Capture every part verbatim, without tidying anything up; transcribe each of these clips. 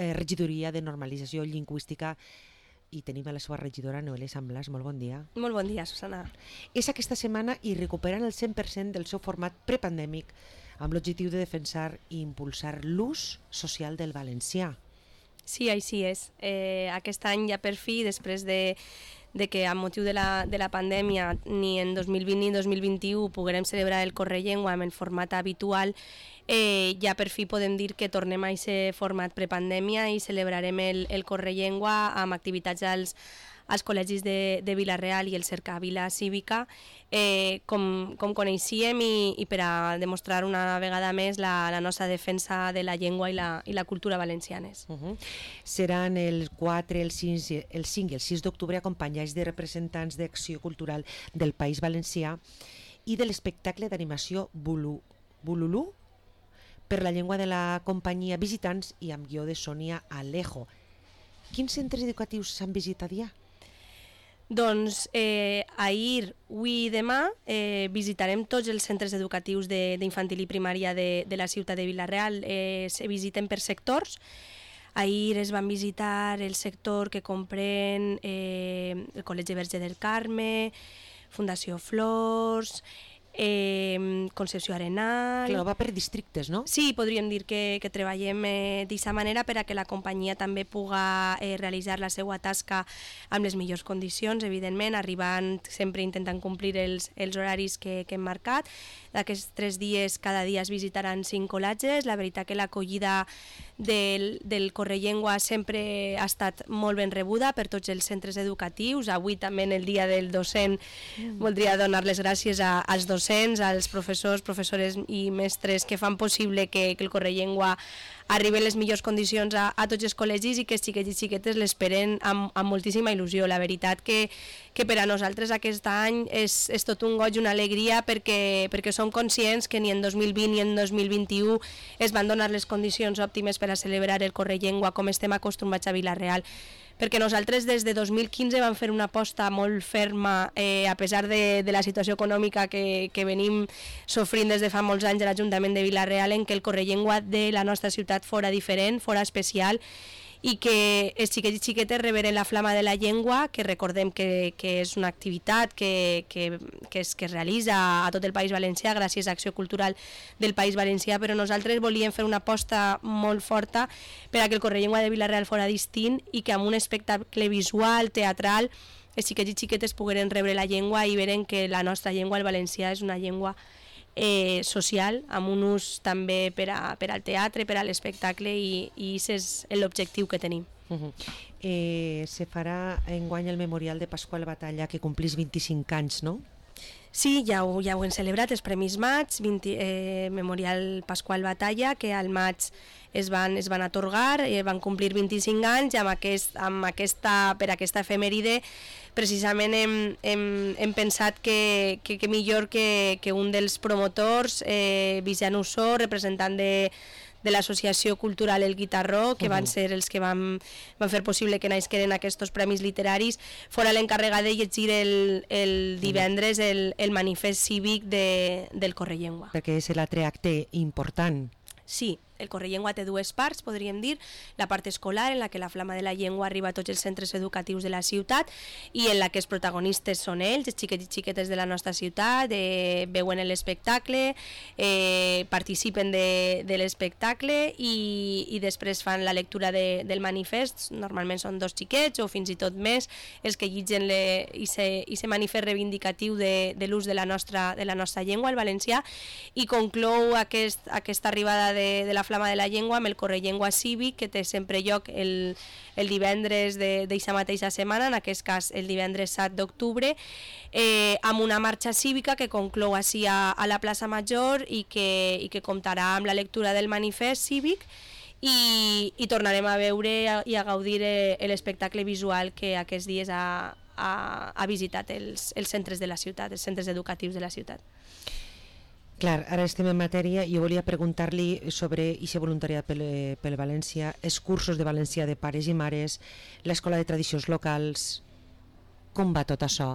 eh, regidoria de normalització lingüística i tenim a la seva regidora Noelia Samblas. Molt bon dia. Molt bon dia, Susana. És aquesta setmana i recuperen el cent per cent del seu format prepandèmic amb l'objectiu de defensar i impulsar l'ús social del valencià. Sí, així és. Eh, aquest any ja per fi, després de, de que amb motiu de la, de la pandèmia ni en dos mil vint ni en dos mil vint-i-u poguérem celebrar el Correllengua amb el format habitual, eh, ja per fi podem dir que tornem a aquest format prepandèmia i celebrarem el, el Correllengua amb activitats als, als col·legis de, de Vila-real i el Cercavila Cívica, eh, com, com coneixíem i, i per a demostrar una vegada més la, la nostra defensa de la llengua i la, i la cultura valencianes. Uh -huh. Seran el quatre, el cinc, el cinc i el sis d'octubre acompanyats de representants d'Acció Cultural del País Valencià i de l'espectacle d'animació Bulu, Bululú per la llengua de la companyia Visitants i amb guió de Sònia Alejo. Quins centres educatius s'han visitat ja? Doncs eh, ahir, avui i demà eh, visitarem tots els centres educatius d'infantil i primària de, de la ciutat de Vila-real. Eh, se visiten per sectors. Ahir es van visitar el sector que comprèn eh, el Col·legi Verge del Carme, Fundació Flors, eh, Concepció Arenal... Clar, va per districtes, no? Sí, podríem dir que, que treballem eh, d'aquesta manera per a que la companyia també puga eh, realitzar la seva tasca amb les millors condicions, evidentment, arribant, sempre intentant complir els, els horaris que, que hem marcat. D'aquests tres dies, cada dia es visitaran cinc col·legis. La veritat que l'acollida del, del Correllengua sempre ha estat molt ben rebuda per tots els centres educatius. Avui també en el dia del docent mm. voldria donar les gràcies a, als docents, als professors, professores i mestres que fan possible que, que el Correllengua arribi en les millors condicions a, a tots els col·legis i que els xiquets i xiquetes l'esperen amb, amb moltíssima il·lusió. La veritat que, que per a nosaltres aquest any és, és tot un goig, una alegria, perquè, perquè som conscients que ni en dos mil vint ni en dos mil vint-i-u es van donar les condicions òptimes per a celebrar el Correllengua com estem acostumats a Vila-real. Perquè nosaltres des de dos mil quinze vam fer una aposta molt ferma, eh, a pesar de, de la situació econòmica que, que venim sofrint des de fa molts anys a l'Ajuntament de Vila-real, en què el Correllengua de la nostra ciutat fora diferent, fora especial, i que els xiquets i xiquetes reberen la flama de la llengua, que recordem que, que és una activitat que, que, que, es, que es realitza a tot el País Valencià gràcies a Acció Cultural del País Valencià, però nosaltres volíem fer una aposta molt forta per a que el Correllengua de Vila-real fora distint i que amb un espectacle visual, teatral, els xiquets i xiquetes pogueren rebre la llengua i veren que la nostra llengua, el valencià, és una llengua Eh, social, amb un ús també per, a, per al teatre, per a l'espectacle, i, i aquest és l'objectiu que tenim. Uh -huh. eh, se farà enguany el memorial de Pasqual Batalla, que complís vint-i-cinc anys, no? Sí, ja ho, ja ho hem celebrat, els Premis Maig, vint, eh, Memorial Pasqual Batalla, que al maig es van, es van atorgar, eh, van complir vint-i-cinc anys, i amb, aquest, amb aquesta, per aquesta efemèride precisament hem, hem, hem pensat que, que, que millor que, que un dels promotors, eh, Vicent Ussó, representant de de l'Associació Cultural El Guitarró, que van ser els que van, van fer possible que naixeren aquests premis literaris, fora l'encarregat de llegir el, el divendres el, el manifest cívic de, del Correllengua. Perquè és l'altre acte important. Sí, el Correllengua té dues parts, podríem dir, la part escolar, en la que la flama de la llengua arriba a tots els centres educatius de la ciutat i en la que els protagonistes són ells, els xiquets i xiquetes de la nostra ciutat, eh, veuen l'espectacle, eh, participen de, de l'espectacle i, i després fan la lectura de, del manifest. Normalment són dos xiquets o fins i tot més els que llitgen aquest manifest reivindicatiu de, de l'ús de, la nostra, de la nostra llengua, el valencià, i conclou aquest, aquesta arribada de, de la flama de la llengua amb el Correllengua Cívic, que té sempre lloc el, el divendres d'aquesta mateixa setmana, en aquest cas el divendres set d'octubre, eh, amb una marxa cívica que conclou així a, a la plaça Major i que, i que comptarà amb la lectura del manifest cívic i, i tornarem a veure i a gaudir l'espectacle visual que aquests dies ha, ha, ha visitat els, els centres de la ciutat, els centres educatius de la ciutat. Clar, ara estem en matèria i jo volia preguntar-li sobre aquest voluntariat pel, pel València, els cursos de valencià de pares i mares, l'escola de tradicions locals, com va tot això?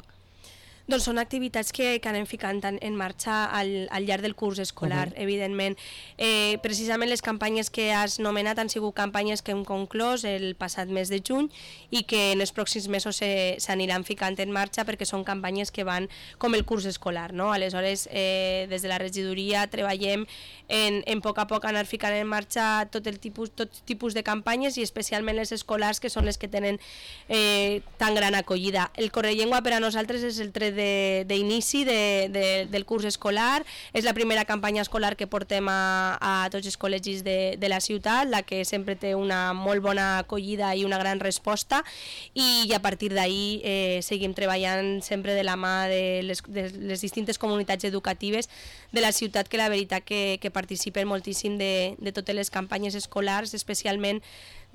Doncs són activitats que, que anem ficant en, en marxa al, al llarg del curs escolar, uh-huh. evidentment. Eh, precisament les campanyes que has nomenat han sigut campanyes que hem conclòs el passat mes de juny i que en els pròxims mesos s'aniran ficant en marxa perquè són campanyes que van com el curs escolar, no? Aleshores, eh, des de la regidoria treballem en, en poc a poc anar ficant en marxa tot el tipus, tot tipus de campanyes i especialment les escolars, que són les que tenen eh, tan gran acollida. El Correllengua per a nosaltres és el tret d'inici de, de, del curs escolar, és la primera campanya escolar que portem a, a tots els col·legis de, de la ciutat, la que sempre té una molt bona acollida i una gran resposta, i, i a partir d'ahir eh, seguim treballant sempre de la mà de les, de les distintes comunitats educatives de la ciutat, que la veritat que, que participen moltíssim de, de totes les campanyes escolars, especialment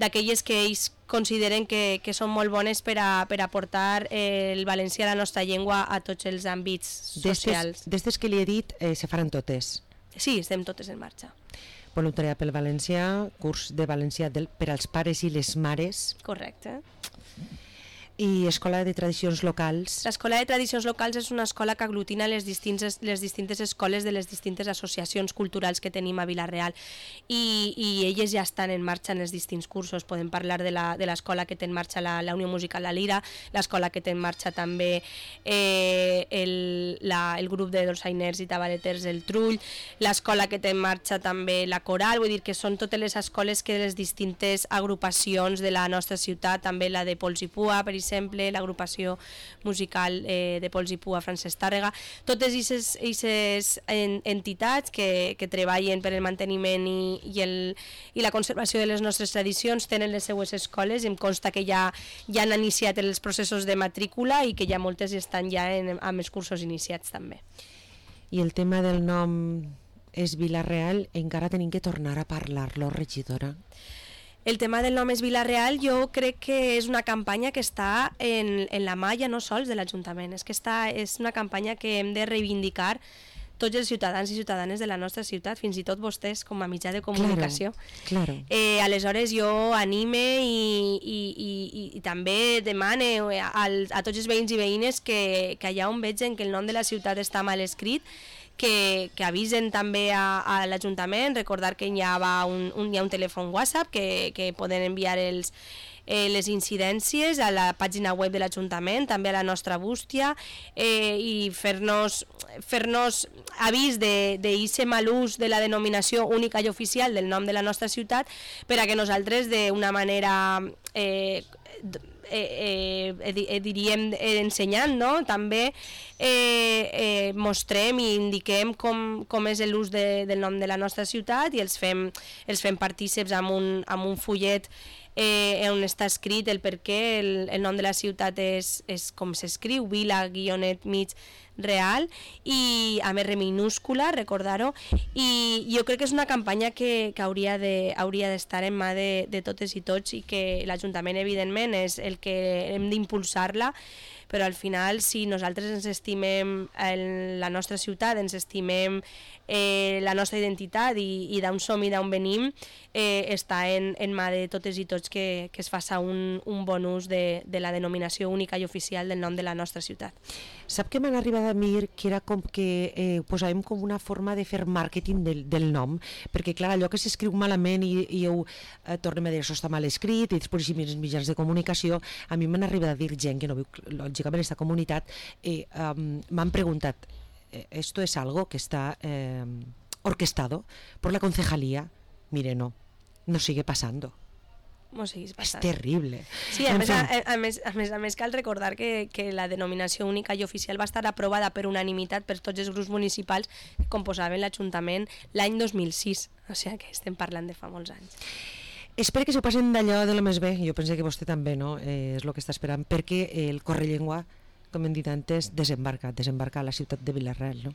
d'aquelles que ells consideren que, que són molt bones per a, per a portar eh, el valencià, la nostra llengua, a tots els àmbits socials. D'estes que li he dit, eh, se faran totes? Sí, estem totes en marxa. Voluntariat pel valencià, curs de valencià del, per als pares i les mares. Correcte. I Escola de Tradicions Locals. L'Escola de Tradicions Locals és una escola que aglutina les distintes, les distintes escoles de les distintes associacions culturals que tenim a Vila-real i, i elles ja estan en marxa en els distints cursos. Podem parlar de l'escola que té en marxa la, la Unió Musical La Lira, l'escola que té en marxa també eh, el, la, el grup de dolçainers i tabaleters El Trull, l'escola que té en marxa també la Coral, vull dir que són totes les escoles que les distintes agrupacions de la nostra ciutat, també la de Pols i Pua, per exemple, exemple, l'agrupació musical eh, de Pols i Pua Francesc Tàrrega, totes aquestes entitats que, que treballen per el manteniment i, i, el, i la conservació de les nostres tradicions tenen les seues escoles, i em consta que ja, ja han iniciat els processos de matrícula i que ja moltes estan ja en, amb els cursos iniciats també. I el tema del nom és Vila-real, encara tenim que tornar a parlar-lo, regidora? El tema del nom és Vila-real, jo crec que és una campanya que està en, en la mà ja no sols de l'Ajuntament, és que està, és una campanya que hem de reivindicar tots els ciutadans i ciutadanes de la nostra ciutat, fins i tot vostès com a mitjà de comunicació. Claro, claro. Eh, aleshores jo anime i, i, i, i també demane a, a tots els veïns i veïnes que, que allà on vegen que el nom de la ciutat està mal escrit, Que, que avisen també a, a l'Ajuntament, recordar que hi ha, un, un, hi ha un telèfon WhatsApp que, que poden enviar els, eh, les incidències a la pàgina web de l'Ajuntament, també a la nostra bústia, eh, i fer-nos fer-nos avís d'aquest mal ús de la denominació única i oficial del nom de la nostra ciutat, per a que nosaltres d'una manera eh, Eh, eh, eh, diríem eh, ensenyant, no? També eh, eh, mostrem i indiquem com, com és l'ús de, del nom de la nostra ciutat i els fem, els fem partíceps amb un, amb un fullet eh, on està escrit el per què el, el nom de la ciutat és, és com s'escriu, Vila, guionet, mig, real, i a més minúscula, recordar-ho, i jo crec que és una campanya que, que hauria de, hauria d'estar en mà de, de totes i tots, i que l'Ajuntament evidentment és el que hem d'impulsar-la, però al final si nosaltres ens estimem el, la nostra ciutat, ens estimem eh, la nostra identitat i, i d'on som i d'on venim, eh, està en, en mà de totes i tots que, que es faça un, un bon ús de, de la denominació única i oficial del nom de la nostra ciutat. Sap que m'han arribat a mir que era com que eh, posàvem com una forma de fer màrqueting del, del nom, perquè clar, allò que s'escriu malament i, i ho eh, tornem a dir això està mal escrit, i després si els mitjans de comunicació, a mi m'han arribat a dir gent que no viu lògicament en aquesta comunitat, eh, um, m'han preguntat, ¿esto es algo que está eh, orquestado por la concejalía? Mire, no, no sigue pasando. És terrible. Sí, a més, a, a, més, a, més, a més cal recordar que, que la denominació única i oficial va estar aprovada per unanimitat per tots els grups municipals que composaven l'Ajuntament l'any dos mil sis, o sigui que estem parlant de fa molts anys. Espero que s'ho passen d'allò de lo més bé, jo penso que vostè també, no? Eh, és el que està esperant, perquè el Correllengua, com hem dit antes, desembarca, desembarca a la ciutat de Vila-real, no?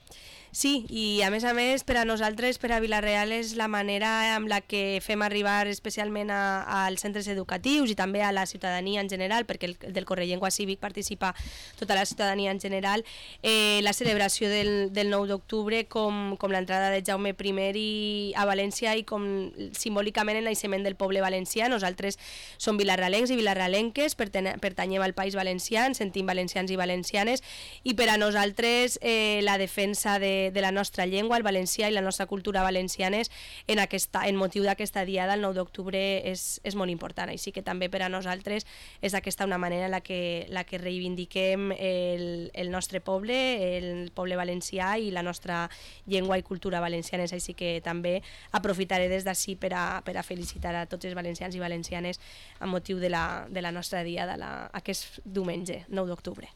Sí, i a més a més per a nosaltres, per a Vila-real, és la manera amb la que fem arribar especialment a, als centres educatius i també a la ciutadania en general, perquè el, del Correllengua Cívic participa tota la ciutadania en general, eh, la celebració del, del nou d'octubre com, com l'entrada de Jaume primer i, a València i com simbòlicament el naixement del poble valencià. Nosaltres som vilarralencs i vilarralenques, pertanyem al País Valencià, ens sentim valencians i valencianes, i per a nosaltres eh, la defensa de de la nostra llengua, el valencià i la nostra cultura valencianes en, aquesta, en motiu d'aquesta diada, el nou d'octubre, és, és molt important. Així que també per a nosaltres és aquesta una manera en la que, la que reivindiquem el, el nostre poble, el poble valencià i la nostra llengua i cultura valencianes. Així que també aprofitaré des d'ací per, a, per a felicitar a tots els valencians i valencianes amb motiu de la, de la nostra diada, la, aquest diumenge, nou d'octubre.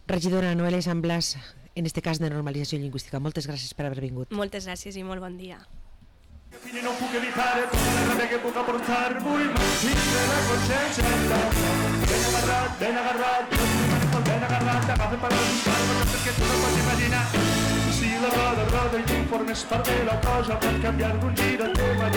Regidora Noelia Sant Blas, en este cas de normalització lingüística, moltes gràcies per haver vingut. Moltes gràcies i molt bon dia. Fine non puc evitare tutta la rabbia che puc aportar-vos, m'existe la consciència. Ben agarrat, ben agarrat, ben agarrat, agafa per buscar coses perquè tu no pots imaginar. Si la roda roda i tu formes part de la cosa, pot canviar d'un gir al teu allà.